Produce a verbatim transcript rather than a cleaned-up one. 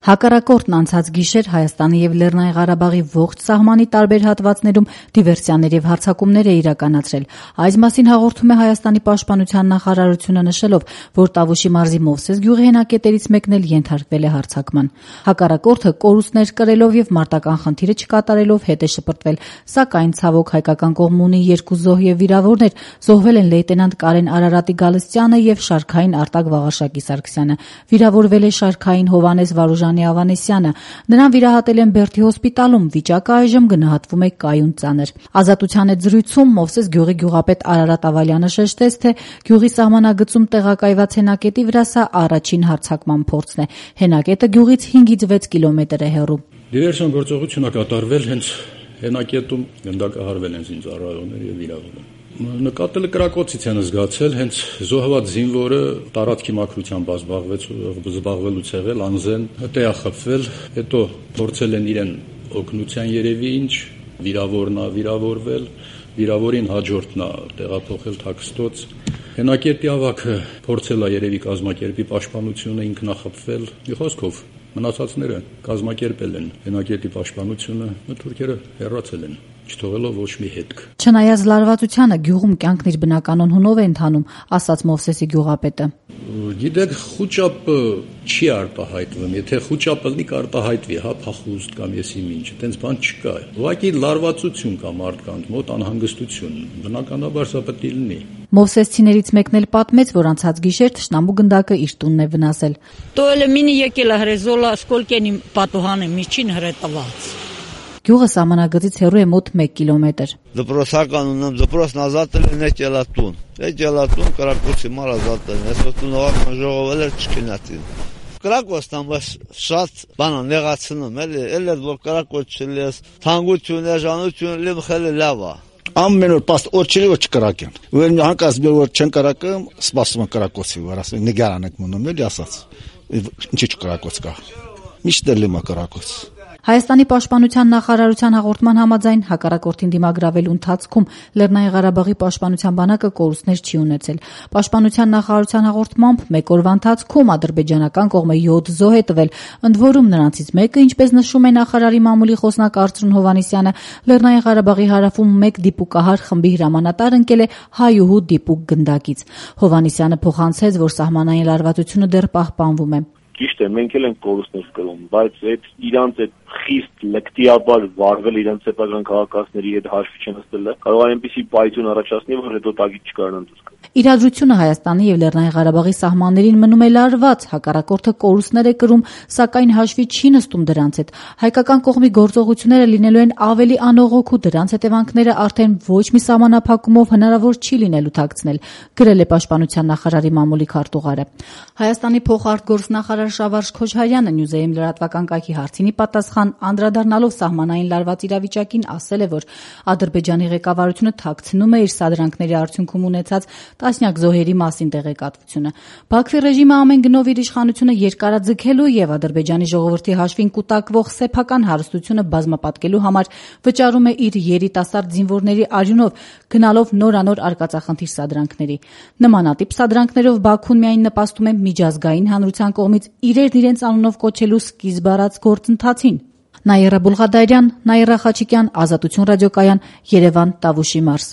Հակառակորդն անցած գիշեր Հայաստանի եւ Լեռնային Ղարաբաղի ողջ սահմանի տարբեր հատվածներում դիվերսիաներ եւ հարձակումներ է իրականացրել։ Այս մասին հաղորդում է Հայաստանի պաշտպանության նախարարությունը, նշելով, որ Տավուշի մարզի Մովսես գյուղի հենակետերից մեկն էլ ենթարկվել է հարձակման։ Հակառակորդը կորուստներ կրելով եւ մարտական խնդիրը չկատարելով հետ է շպրտվել, սակայն ցավոք հայկական կողմն ունի երկու զոհ եւ վիրավորներ։ Զոհվել են լեյտենանտ Կարեն Արարատի Գալստյանը եւ շարքային Արտակ Վաղարշակի Սարգսյանը։ Վիրավորվել է շարքային Հովանես Վարուժանի Ավանեսյանը։ Նրան վիրահատել են Բերդի հոսպիտալում, վիճակը այժմ գնահատվում է կայուն ծանր։ Ազատության հետ զրույցում Մովսես գյուղի գյուղապետ Արարատ Ավալյանը շեշտեց, թե գյուղի սահմանագծում տեղակայված հենակետի վրա սա առաջին հարձակման փորձն է։ Հենակետը գյուղից հինգից վեց կիլոմետր է հեռու։ Դիվերսիոն գործողությունը կատարվել հենց հենակետում, գնդակահարվել են զինծառայողներ եւ վիրավորվել։ Նկատելը կրակոցից են զգացել, հենց զոհված զինվորը տարածքի մաքրությամբ զբաղվելուց եղել, անզեն տեղախփվել, հետո փորձել են իրեն օգնության երևի ինչ, վիրավորնա վիրավորվել, վիրավորին հաջորդնա տեղափոխել Թաքստոց։ Հենակետի ավագը փորձել է երևի կազմակերպի պաշտպանությունը, ինքնախփվել։ Մի խոսքով մնացածները կազմակերպել են հենակետի պաշտպանությունը, թուրքերը հեռացել են, չթողելով ոչ մի հետք։ Չնայած լարվածությանը գյուղում կյանքն իր բնականon հունով է ընթանում, ասաց Մովսեսի գյուղապետը։ Գիտեք, խուճապը չի արտահայտվում, եթե խուճապը լինի կարտահայտվի, հա, փախուստ կամ եսի ինչ, այդպես բան չկա։ Ուղղակի լարվածություն կա մարդկանց մոտ, անհանգստություն, բնականաբար սա պետք է լինի։ Մովսեսցիներից մեկն էլ պատմեց, որ անցած գիշեր թշնամու գնդակը իր տունն է վնասել։ Տոելը մինի եկել է հրեզոլա սկոլկենի պատուհանը միջին հրետված։ Գյուղը սահմանագծից հեռու է մոտ մեկ կիլոմետր։ Դպրոցական ունեմ, դպրոցն ազատել են է ջելատուն։ Է ջելատուն կրակոցի մար ազատել են, այսօր տունողական ժողովել էր չկնացին։ Կրակոցն ամբողջ շատ բան նեղացնում էլի, էլ էր որ կրակոց չլես, թանկություն, էժանություն լիմ խելը լավ է։ Ամեն օր պաստ օր չլի որ չկրակեն։ Որ հանկարծ մի օր չեն կրակում, սպասում են կրակոցի, որ ասեն նգարան եք մնում էլի ասած։ Ինչի՞ չկրակոց կա։ Միշտ էլ լիմա կրակոց։ Հայաստանի պաշտպանության նախարարության հաղորդման համաձայն հակառակորդին դիմագրավելու ընթացքում Լեռնային Ղարաբաղի պաշտպանության բանակը կորուստներ չի ունեցել։ Պաշտպանության նախարարության հաղորդմամբ մեկ օրվա ընթացքում ադրբեջանական կողմը յոթ զոհ է տվել, ընդ որում նրանցից մեկը, ինչպես նշում է նախարարի մամուլի խոսնակ Արծրուն Հովհաննիսյանը, Լեռնային Ղարաբաղի հարավում մեկ դիպուկահար խմբի հրամանատար ընկել է հայուհու դիպուկ գնդակից։ Հովհաննիսյանը փոխանցեց, որ սահմանային լարվածությունը դեռ պահպանվում է։ Ճիշտ է, մենք էլ ենք կորուստներ կրում, բայց այդ իրանց այդ խիստ լկտիաբար վարվել իրենց սեփական քաղաքացիների հետ հաշվի չնստելը կարող է այնպիսի պայթյուն առաջացնի, որ հետո տակից չկարողանան դուսկալ։ Իրադրությունը Հայաստանի եւ Լեռնային Ղարաբաղի սահմաններին մնում է լարված, հակառակորդը կորուստներ է կրում, սակայն հաշվի չի նստում դրանց հետ։ Հայկական կողմի գործողությունները լինելու են ավելի անողոք ու դրանց հետևանքները արդեն ոչ մի սահմանափակումով հնարավոր չի լինելու թաքցնել, գրել է պաշտպանության նախարարի մամուլի քարտուղարը։ Հայաստանի փոխարտգործնախարար Շավարժ Քոչարյանը Նյուզեում լրատվական կայքի հարցինի պատասխան անդրադառնալով սահմանային լարված իրավիճակին ասել է, որ Ադրբեջանի ղեկավարությունը թաքցնում է իր սադրանքների արդյունքում ունեցած տասնյակ զոհերի մասին տեղեկատվությունը։ Բաքվի ռեժիմը ամեն գնով իր իշխանությունը երկարաձգելու եւ Ադրբեջանի ժողովրդի հաշվին կուտակվող սեփական հարստությունը բազմապատկելու համար վճարում է իր երիտասարդ զինվորների արյունով, գնալով նորանոր արկածախնդիր սադրանքների։ Նմանատիպ սադրանքներով Բաքուն միայն նպաստում է միջազգային հանրության կողմից իրերն իրենց անունով կոչելու սկիզբ առած գործընթացին։ Նաիրա Բուլղադարյան, Նաիրա Խաչիկյան, Ազատություն ռադիոկայան, Երևան, Տավուշի մարզ։